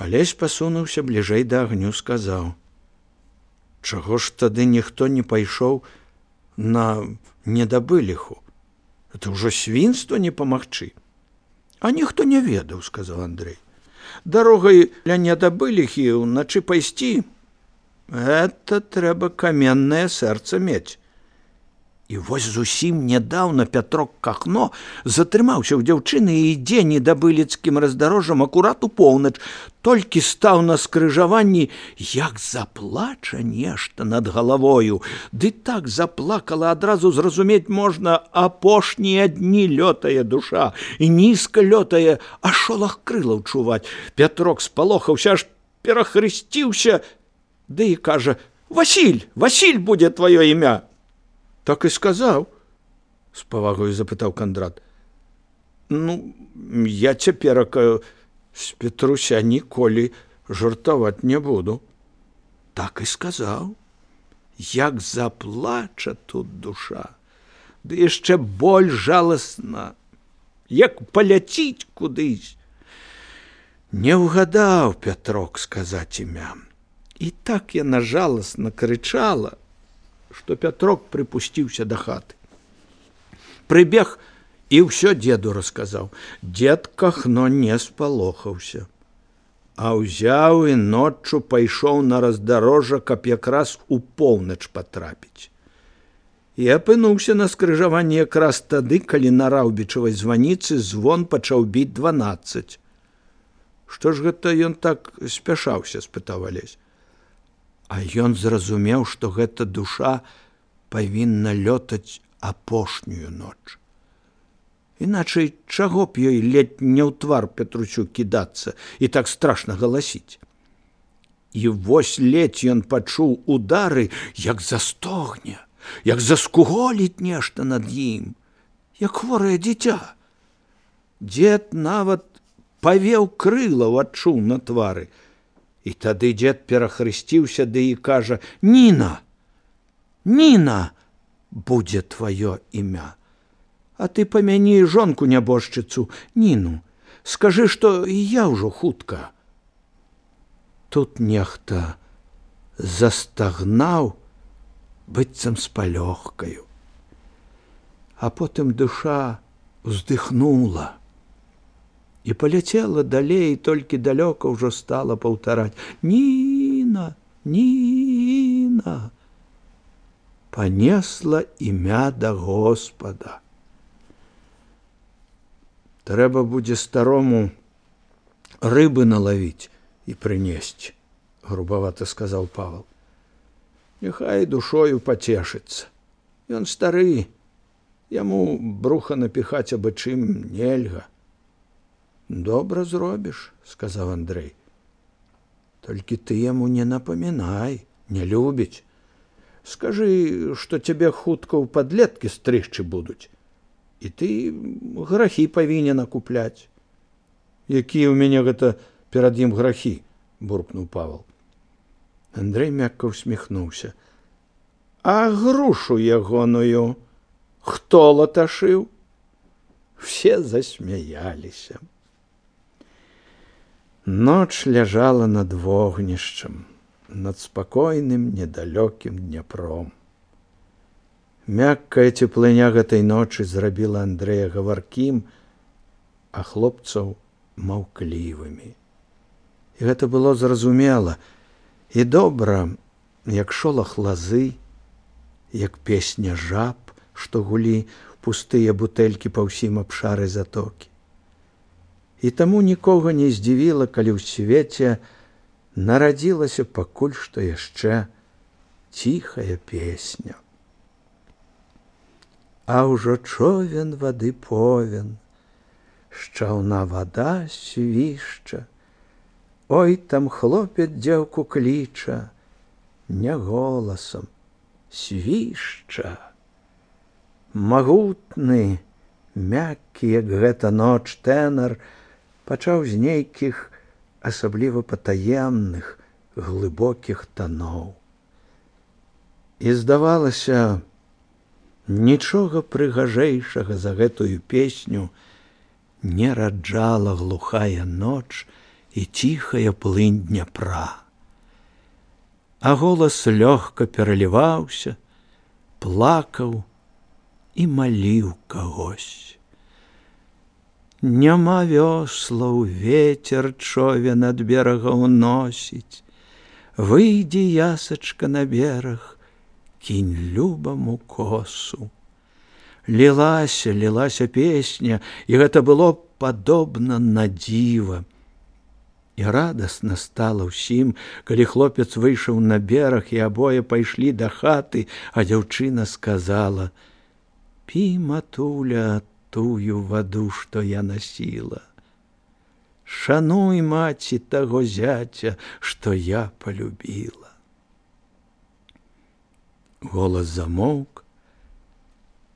Алесь пасунуўся бліжэй да агню, сказаў: «Чаго ж тады ніхто не пайшоў на недабыліху? Это ўжо свінства не памагчы». «А ніхто не ведаў», – сказаў Андрэй. «Дарогай ля недабыліхі ўначы пайсці – гэта трэба каменнае сэрца мець». І вось зусім нядаўна Пятрок Кахно затрымаўся ў дзяўчыны і ідзе недабыліцкім раздарожжам акурат у поўнач. Толькі стаў на скрыжаванні, як заплача нешта над галавою. Ды так заплакала, адразу зразумець можна, апошнія дні лётае душа, і нізка лётае, а шолах крылаў чуваць. Пятрок спалохаўся, аж перахрысціўся, ды і кажа: «Васіль, Васіль будзе тваё імя». «Так і сказаў?» – з павагою запытаў Кандрат. «Ну, я цяперака з Петруся ніколі жартаваць не буду». «Так і сказаў. Як заплача тут душа, ды яшчэ больш жаласна, як паляціць кудысь». Не ўгадаў Пятрок сказаць імя. І так яна жаласна крычала, што Пятрок прыпусціўся да хаты. Прыбег і ўсё дзеду расказаў. Дзед Кахно не спалохаўся, а ўзяў і ноччу пайшоў на раздарожжа, каб якраз у поўнач патрапіць. І апынуўся на скрыжаванні якраз тады, калі на раўбічавай званіцы звон пачаў біць 12. «Што ж гэта ён так спяшаўся?» – спытаў Алесь. А ён зразумеў, што гэта душа павінна лётаць апошнюю ноч. Іначай чаго б ёй ледь не ў твар Петрусю кідацца і так страшна галасіць. І вось ледь ён пачуў удары, як застогне, як заскуголіць нешта над ім, як хворае дзіця. Дзед нават павеў крылаў адчуў на твары. І тады дзед перахрысціўся, ды і кажа: «Ніна, Ніна будзе тваё імя. А ты памяні жонку нябожчыцу, Ніну, скажы, што і я ўжо хутка». Тут нехта застагнаў, быццам з палёгкаю. А потым душа уздыхнула і паляцела далей, толькі далёка ўжо стала паўтараць: «Ніна, Ніна». Панесла імя да Господа. «Трэба будзе старому рыбы налавіць і прынесці», – грубавата сказаў Павал. «Няхай душою пацешыцца. Ён стары, яму бруха напіхаць абы чым нельга». «Добра зробіш», – сказаў Андрэй. «Толькі ты яму не напамінай, не любіць. Скажы, што цябе хутка ў падлеткі стрыгчы будуць, і ты грахі павінен акупляць». «Якія ў мяне гэта перад ім грахі?» – буркнуў Павал. Андрэй мякка усміхнуўся. «А грушу ягоную хто латашыў?» Все засмяяліся. Ноч ляжала над вогнішчам, над спакойным недалёкім Дняпром. Мяккая цеплыня гэтай ночы зрабіла Андрэя гаваркім, а хлопцаў маўклівымі. І гэта было зразумела і добра, як шолах лазы, як песня жаб, што гулі пустыя бутэлькі па ўсім абшары затокі. І таму нікога не здзівіла, калі ў свеце нарадзілася пакуль што яшчэ ціхая песня. А ўжо човен вады повен, з чаўна вада свішча, ой, там хлопец дзеўку кліча, не голасам, свішча. Магутны, мяккі, як гэта ноч, тэнар пачаў з нейкіх асабліва патаемных, глыбокіх таноў. І здавалася, нічога прыгажэйшага за гэтую песню не раджала глухая ноч і ціхая плынь Дняпра. А голас лёгка пераліваўся, плакаў і маліў кагось. Няма вёслаў, ветер човен ад берага ўносіць. Выйдзі, ясачка, на бераг, кінь любаму косу. Лілася песня, і гэта было падобна на дзіва. І радасна стала ўсім, калі хлопец выйшаў на бераг, і абое пайшлі да хаты, а дзяўчына сказала: «Пі, матуля, тую ваду, што я насіла. Шануй, маці, таго зяця, што я полюбіла». Голас замоўк,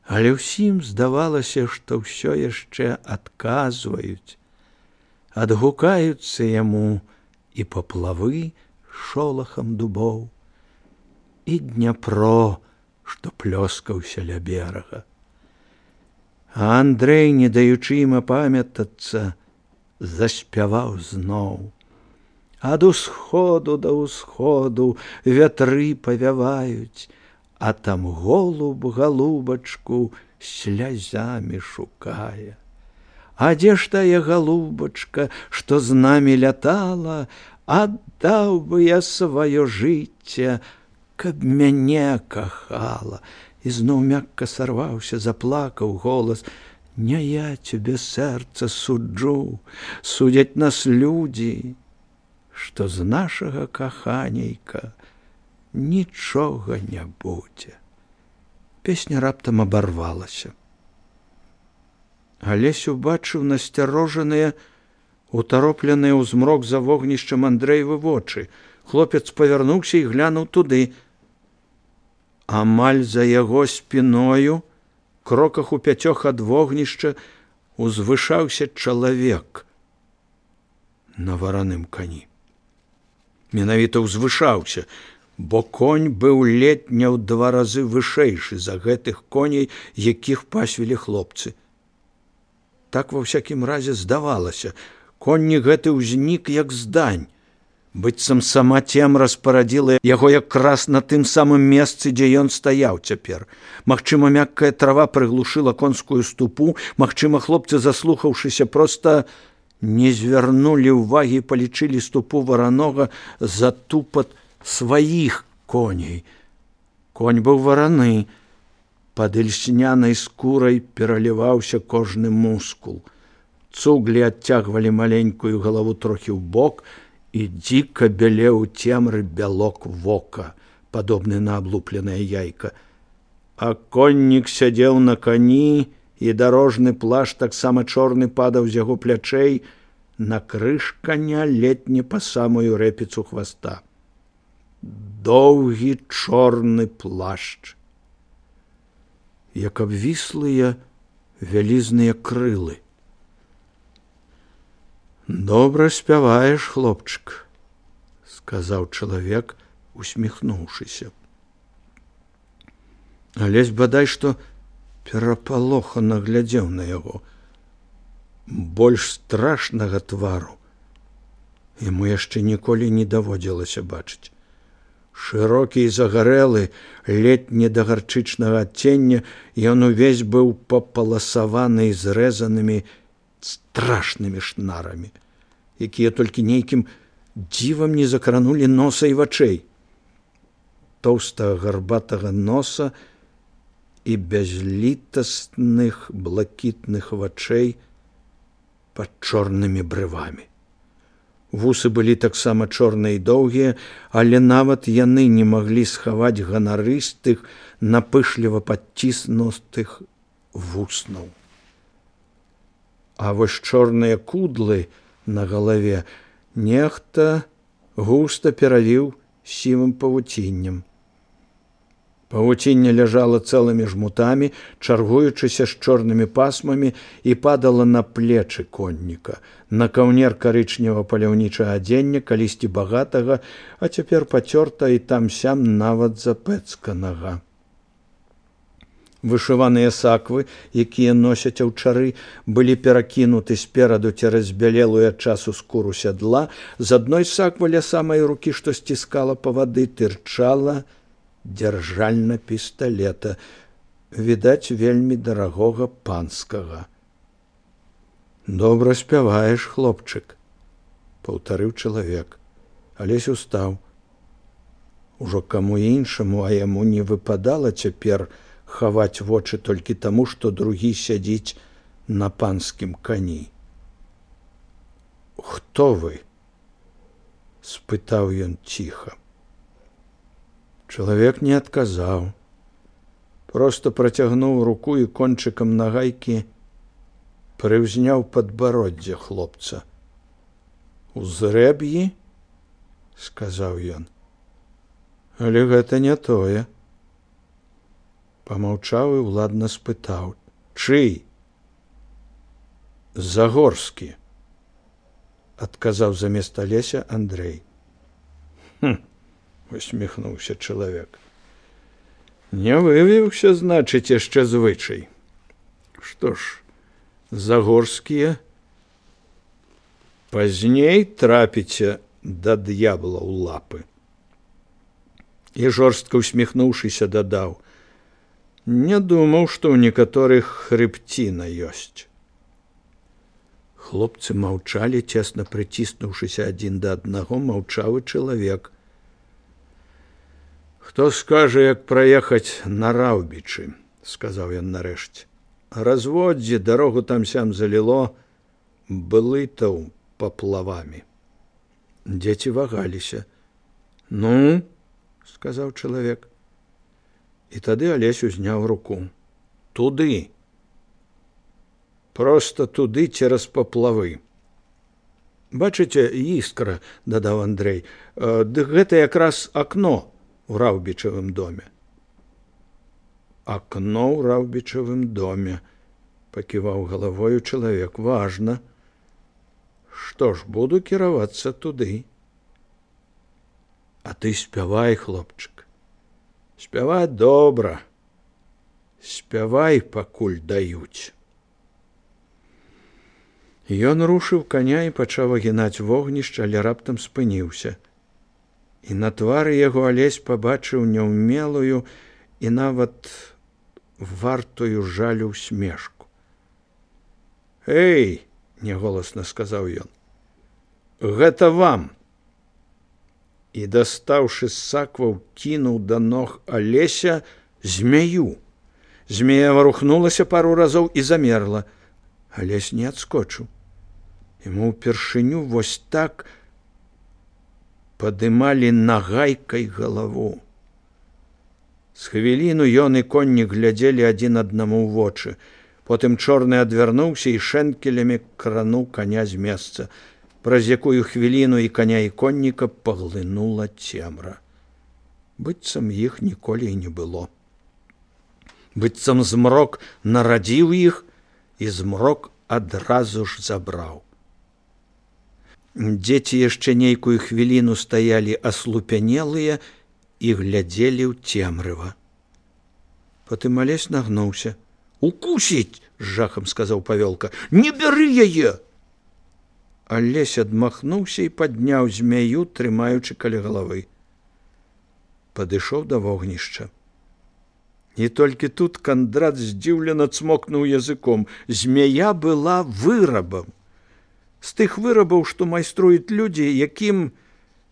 але ўсім здавалася, што ўсё яшчэ адказваюць, адгукаюцца яму і паплавы шолахам дубоў, і Дняпро, што плёскаўся ля берага. А Андрэй, не даючы ім апамятацца, заспяваў зноў. Ад усходу да ўсходу вятры павяваюць, а там голуб галубачку слязамі шукае. А дзе ж тая галубачка, што з намі лятала, аддаў бы я сваё жыцце, каб мяне кахала. І зноў мякка сарваўся, заплакаў голас: «Не я цябе, сэрца, суджу, судзяць нас людзі, што з нашага каханейка нічога не будзе». Песня раптам абарвалася. Алесь убачыў насцярожаныя, утаропленыя ў змрок за вогнішчам Андрэевы вочы. Хлопец павярнуўся і глянуў туды. Амаль за яго спіною, кроках у 5 ад вогнішча, узвышаўся чалавек на вараным кані. Менавіта ўзвышаўся, бо конь быў ледзь не ў 2 разы вышэйшы за гэтых коней, якіх пасвілі хлопцы. Так ва ўсякім разе здавалася. Конні гэты ўзнік як здань. Быццам сама цемра спарадзіла яго якраз на тым самым месцы, дзе ён стаяў цяпер. Магчыма, мяккая трава прыглушыла конскую ступу, магчыма, хлопцы, заслухаўшыся, проста не звярнулі ўвагі і палічылі ступу варанога за тупат сваіх коней. Конь быў вараны, пад ільснянай скурай пераліваўся кожны мускул. Цуглі адцягвалі маленькую галаву трохі ў бок, і дзіка бялеў у цемры бялок вока, падобны на аблупленае яйка. А коннік сядзеў на кані, і дарожны плашч таксама чорны падаў з яго плячэй на крыж каня ледзь не па самую рэпіцу хваста. Доўгі чорны плашч, як абвіслыя вялізныя крылы. «Добра спяваеш, хлопчык», – сказаў чалавек, усміхнуўшыся. Алесь бадай што перапалохана глядзеў на яго. Больш страшнага твару яму яшчэ ніколі не даводзілася бачыць. Шырокі і загарэлы, ледзь не да гарчычнага адцення, ён увесь быў папаласаваны і зрэзанымі страшнымі шнарамі, якія толькі нейкім дзівам не закранулі носа і вачэй. Тоўстага гарбатага носа і бязлітасных блакітных вачэй пад чорнымі брывамі. Вусы былі таксама чорныя і доўгія, але нават яны не маглі схаваць ганарыстых, напышліва падціснутых вуснаў. А вось чорныя кудлы на галаве нехта густа перавіў сівым павуціннем. Павуцінне ляжала цэлымі жмутамі, чаргуючыся з чорнымі пасмамі, і падала на плечы конніка, на каўнер карычнева-паляўнічага адзення, калісьці багатага, а цяпер пацёрта і там-сям нават запэцканага. Вышываныя саквы, якія носяць аўчары, былі перакінуты спераду цераз бялелую ад часу скуру сядла. З адной саквы ля самай рукі, што сціскала павады, тырчала дзяржальна пісталета, відаць, вельмі дарагога панскага. «Добра спяваеш, хлопчык», – паўтарыў чалавек. Алесь устаў. Ужо каму іншаму, а яму не выпадала цяпер хаваць вочы толькі таму, што другі сядзіць на панскім кані. «Хто вы?» – спытаў ён ціха. Чалавек не адказаў. Проста працягнуў руку і кончыкам нагайкі прыўзняў падбароддзе хлопца. «Узрэб'і?» – сказаў ён. «Але гэта не тое». Памаўчаў і ўладна спытаў: «Чый?» «Загорскі», – адказаў замест Алеся Андрэй. «Хм», – усміхнуўся чалавек. «Не вывіўся, значыць, яшчэ звычай. Што ж, загорскія, пазней трапіце да д'ябла ў лапы». І жорстка усміхнуўшыся дадаў: «Не думаў, што ў некаторых хрыбціна ёсць». Хлопцы маўчалі, цесна прыціснуўшыся адзін да аднаго, маўчаў і чалавек. «Хто скажа, як праехаць на Раўбічы?» – сказаў ён нарэшце. «Разводдзе, дарогу там-сям заліло, блытаў паплавамі». Дзеці вагаліся. «Ну?» – сказаў чалавек. І тады Алесь узняў руку. «Туды. Проста туды цераз паплавы». «Бачыце, іскра», – дадаў Андрэй, – «дык гэта якраз акно ў Раўбічавым доме». «Акно ў Раўбічавым доме», – паківаў галавою чалавек. «Важна. Што ж, буду кіравацца туды». «А ты спявай, хлопчык. Спяваць добра. Спявай, пакуль даюць». Ён рушыў каня і пачаў агінаць вогнішча, але раптам спыніўся. І на твары яго Алесь пабачыў няўмелую і нават вартую жалю усмешку. «Эй!» – няголасна сказаў ён. «Гэта вам!» І, дастаўшы з сакваў, кінуў да ног Алеся змяю. Змея варухнулася пару разоў і замерла. Алесь не адскочыў. Яму ўпершыню вось так падымалі нагайкай галаву. З хвіліну ён і коннік глядзелі адзін аднаму ў вочы. Потым чорны адвярнуўся і шэнкелямі крануў каня з месца. Праз якую хвіліну і каня, і конніка паглынула цемра. Быццам іх ніколі і не было. Быццам змрок нарадзіў іх, і змрок адразу ж забраў. Дзеці яшчэ нейкую хвіліну стаялі аслупянелыя і глядзелі ў цемрыва. Потым Алесь нагнуўся. «Укусіць!» – з жахам сказаў Павёлка. «Не бяры яе!» Алесь адмахнуўся і падняў змяю, трымаючы каля галавы. Падышоў да вогнішча. І толькі тут Кандрат здзіўлена цмокнуў языком. Змяя была вырабам. З тых вырабаў, што майструюць людзі, якім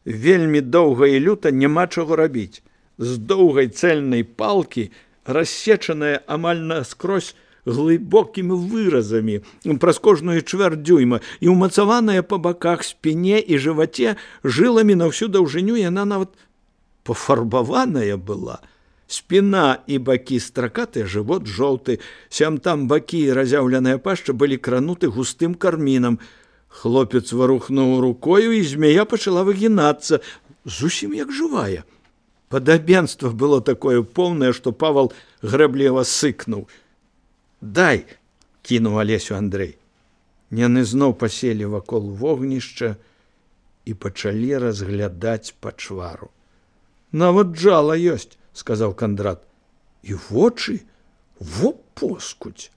вельмі доўга і люта няма чаго рабіць. З доўгай цэльнай палкі, рассечаная амаль наскрозь глыбокімі выразамі праз кожную чвэрць дзюйма і ўмацаваная па баках, спіне і жываце жыламі на ўсю даўжыню, яна нават пафарбаваная была. Спіна і бакі стракатыя, жывот жоўты, сям-там бакі і разяўленая пашча былі крануты густым кармінам. Хлопец варухнуў рукою, і змяя пачала выгінацца, зусім як жывая. Падабенства было такое поўнае, што Павал грэбліва сыкнуў. «Дай!» – кінуў Алесю Андрэй. Яны зноў паселі вакол вогнішча і пачалі разглядаць пачвару. «Нават джала ёсць», – сказаў Кандрат. «І вочы? Во поскудзь!